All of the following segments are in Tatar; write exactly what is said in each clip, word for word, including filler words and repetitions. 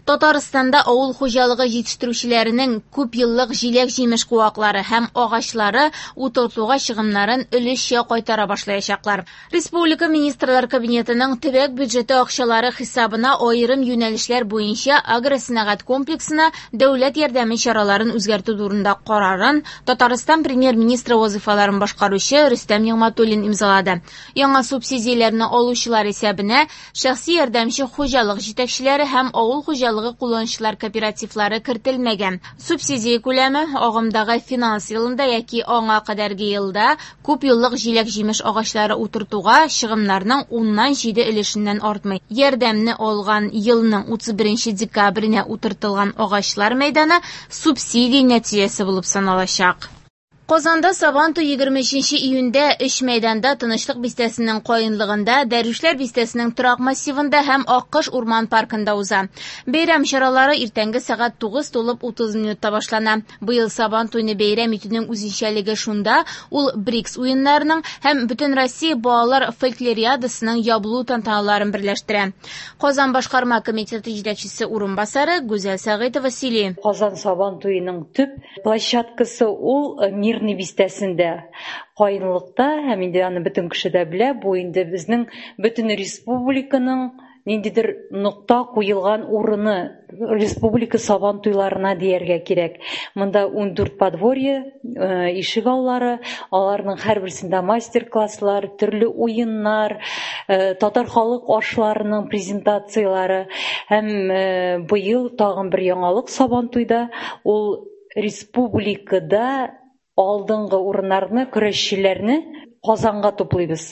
Татарстанда авыл хуҗалыгы җитештерүчеләренең күпьеллык җиләк-җимеш куаклары һәм агачлары утыртуга чыгымнарын өлешчә кайтара башлаячаклар. Республика Министрлар Кабинетының төбәк бюджеты акчалары хисабына аерым юнәлешләр буенча агросәнәгать комплексына дәүләт ярдәме чараларын үзгәртү турында карарын Татарстан премьер-министры вазыйфаларын башкаручы Рөстәм Нигъмәтуллин имзалады. Яңа субсидияләрне алучылар исәбенә шәхси ярдәмче хуҗалык җитәкчеләре һәм авыл хуҗалыгы кулланучылар кооперативлары кертелмәгән. Субсидия күләме агымдагы финанс елында яки аңа кадәрге елда күпьеллык җиләк-җимеш агачлары утыртуга чыгымнарның уннан җиде өлешеннән артмый. Ярдәмне алган елның утыз беренче декабренә утыртылган агачлар мәйданы субсидия нәтиҗәсе булып саналачак. Казанда Сабантуй егерме өченче июньдә өч мәйданда Тынычлык бистәсенең каенлыгында, Дәрвишләр бистәсенең торак массивында һәм Аккош урман паркында уза. Бәйрәм чаралары иртәнге сәгать тугыз тулып утыз минутта башлана. Быел Сабантуйны бәйрәм итүнең үзенчәлеге шунда, ул БРИКС уеннарының һәм Бөтен Россия балалар фольклориадасының ябылу тантаналарын берләштерә. Казан башкарма комитеты җитәкчесе урынбасары Гүзәл Сәгыйтова сөйли. Казан Сабантуеның төп площадкасы ул Мир бистәсендә, каенлыкта, һәм инде аны бөтен кеше дә белә, бу инде безнең бөтен республиканың ниндидер нокта куелган урыны, республика Сабантуйларына дияргә кирәк. Монда ундүрт подворье, э, ишек аллары, аларның һәрберсендә мастер-класслар, төрле уеннар, э, татар халык ашларының презентацияләре һәм, э, быел тагын бер яңалык Сабантуйда, ул республикада алдынгы урыннарны, көрәшчеләрне Казанга туплыйбыз.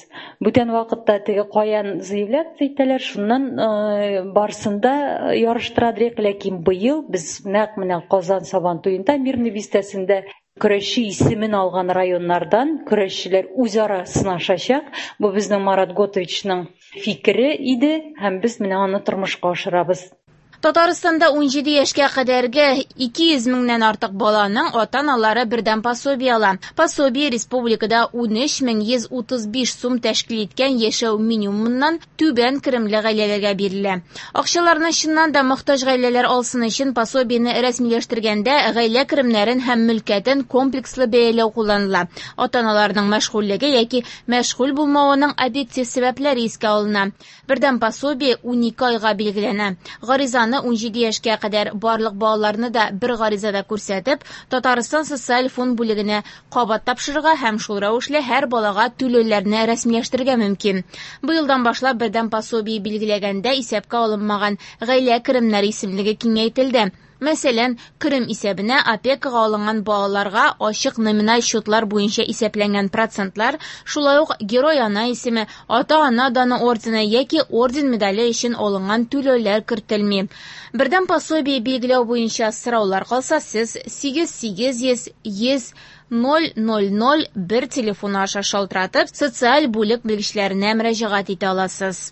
Бүтән вакытта теге каян заявляться итәләр, шуннан, э, барсында ярыштыра дирек, ләкин быел без нәкъ менә Казан Сабантуенда Мирный бистәсендә көрәшче исемен алган районнардан көрәшчеләр үзара сынашачак. Бу безнең Марат Готовичның фикере иде һәм без менә аны тормышка ашырабыз. Татарстанда унҗиде яшькә кадәрге ике йөз меңнән артык баланың ата-аналары бердәм пособие ала. Пособие республикада унөч мең йөз утыз биш сум тәшкил иткән яшәү минимумыннан түбән керемле гаиләләргә бирелә. Акчаларны чыннан да мохтаҗ гаиләләр алсын өчен пособиене рәсмиләштергәндә гаилә керемнәрен һәм мөлкәтен комплекслы бәяләү кулланыла. Ата-аналарның мәшгульлеге яки мәшгуль булмавының объектив сәбәпләре искә алына. Бердәм пособие унике айга билгеләнә. Гаризаны унҗиде яшькә кадәр барлык балаларны да бер гаризада күрсәтеп, Татарстан социаль фонд бүлегенә кабат тапшырырга һәм шул рәвешле һәр балага түләүләрне рәсмиләштерергә мөмкин. Быелдан башлап бердәм пособие билгеләгәндә исәпкә алынмаган гаилә керемнәре исемлеге киңәйтелде. Мәсәлән, керем исәбенә опекага алынган балаларга ачык номиналь счетлар буенча исәпләнгән процентлар, шулай ук Герой ана исеме, ата-ана даны ордены яки орден медале өчен алынган түләүләр кертелми. Бердәм пособие билгеләү буенча сораулар калса, сез сигез сигез йөз йөз ноль ноль ноль бер телефоны аша шалтыратып, социаль бүлек белгечләренә мөрәҗәгать итә аласыз.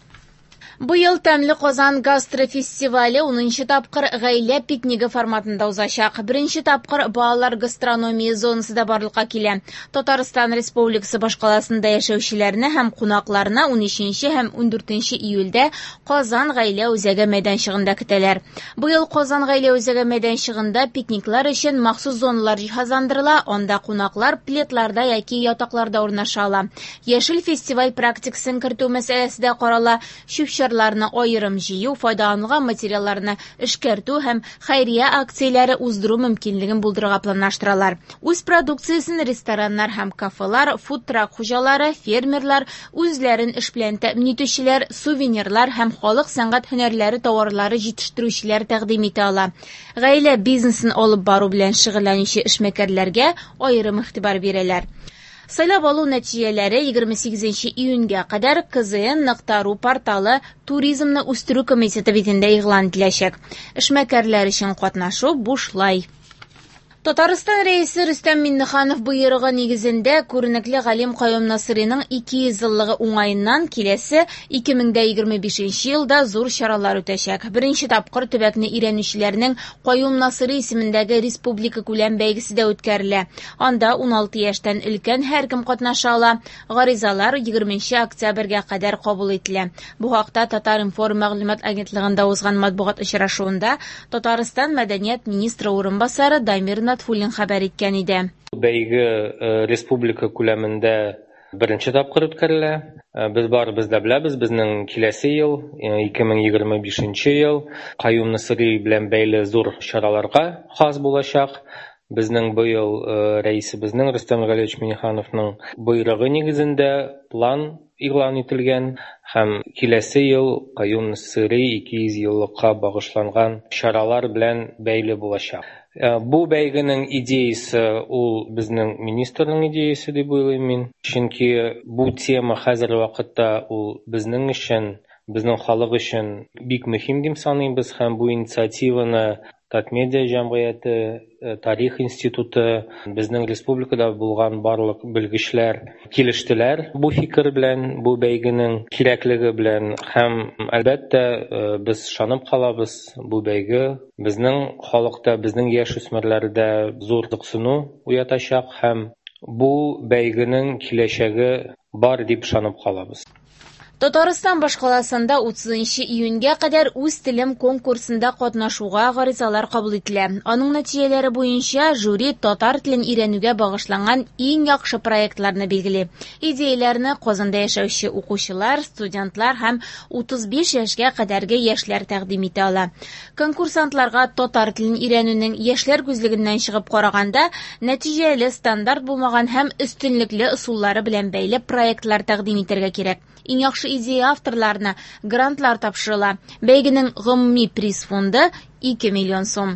Быел Тәмле Казан гастрофестивале унынчы тапкыр гаилә пикнигы форматында узачак. Беренче тапкыр балалар гастрономия зонасы да барлыкка килә. Татарстан Республикасы башкаласында яшәүчеләрне һәм кунакларны унөченче һәм ундүртенче июльдә Казан гаилә үзәге мәйданчыгында көтәләр. Быел Казан гаилә үзәге мәйданчыгында пикниклар өчен махсус зоналар җиһазландырыла, анда кунаклар пледларда яки ятакларда урнаша ала. Яшел фестиваль практикасын кертү мәсьәләсе дә карала. Чүп-чарларны аерым җыю, файдаланылган материалларны эшкәртү һәм хәйрия акцияләре уздыру мөмкинлеген булдырырга планлаштыралар. Үз продукциясен рестораннар һәм кафелар, фудтрак хуҗалары, фермерлар, үзләрен эш белән тәэмин итүчеләр, сувенирлар һәм халык сәнгать һөнәрләре товарлары җитештерүчеләр тәкъдим итә ала. Гаилә бизнесын алып бару белән шөгыльләнүче эшмәкәрләргә аерым игътибар бирәләр. Сайлап алу нәтиҗәләре егерме сигезенче июньгә кадәр К З Н нокта ру порталы туризмны үстерү комитеты битендә игълан ителәчәк. Эшмәкәрләр өчен катнашу бушлай. Татарстан Рәисе Рөстәм Миңнеханов боерыгы нигезендә күренекле галим Каюм Насыйриның ике йөз еллыгы уңаеннан киләсе ике мең дә егерме бишенче елда зур чаралар үтәчәк. Беренче тапкыр төбәкне өйрәнүчеләрнең Каюм Насыйри исемендәге республика күләм бәйгесе дә үткәрелә. Анда ун алты яшьтән өлкән һәркем катнаша ала. Гаризалар егерменче октябрьгә кадәр кабул ителә. Бу хакта Татар-информ мәгълүмат агентлыгында узган матбугат очрашуында Татарстан мәдәният министры урынбасары Дамир Натфуллин хәбәр иткән иде. Бәйге республика күләмендә беренче тапкыр үткәрелә. Без барыбыз да беләбез, безнең киләсе ел, ике мең егерме бишенче ел, Каюм Насыйри белән бәйле зур чараларга хас булачак. Безнең быел рәисебезнең Рөстәм Галиевич Миңнехановның боерыгы нигезендә план игълан ителгән һәм киләсе ел Каюм Насыйри ике йөз еллыкка багышланган чаралар белән бәйле булачак. Бу бәйгенең идеясы ул безнең министрның идеясы дип уйлыйм мин. Чөнки бу тема хәзерге вакытта ул безнең өчен, безнең халык өчен бик мөһим дип саныйбыз һәм бу инициативаны Татмедиа җәмгыяте, Тарих институты, безнең республикада булган барлык белгечләр килештеләр бу фикер белән, бу бәйгенең кирәклеге белән һәм әлбәттә без ышанып калабыз, бу бәйге безнең халыкта, безнең яшь үсмерләрдә зур кызыксыну уятачак һәм бу бәйгенең киләчәге бар дип ышанып калабыз. Татарстан башкаласында утызынчы июньгә кадәр үз телем конкурсында катнашуга гаризалар кабул ителә. Аның нәтиҗәләре буенча жюри татар телен өйрәнүгә багышланган иң яхшы проектларны билгели. Идеяләрне Казанда яшәүче укучылар, студентлар һәм утыз биш яшькә кадәрге яшьләр тәкъдим итә ала. Конкурсантларга татар телен өйрәнүнең яшьләр күзлегеннән чыгып караганда нәтиҗәле, стандарт булмаган һәм өстенлекле ысуллары белән бәйле проектлар тәкъдим итәргә кирәк. Иң яхшы идея авторларына грантлар тапшырыла. Бәйгенең гомуми приз фонды ике миллион сум.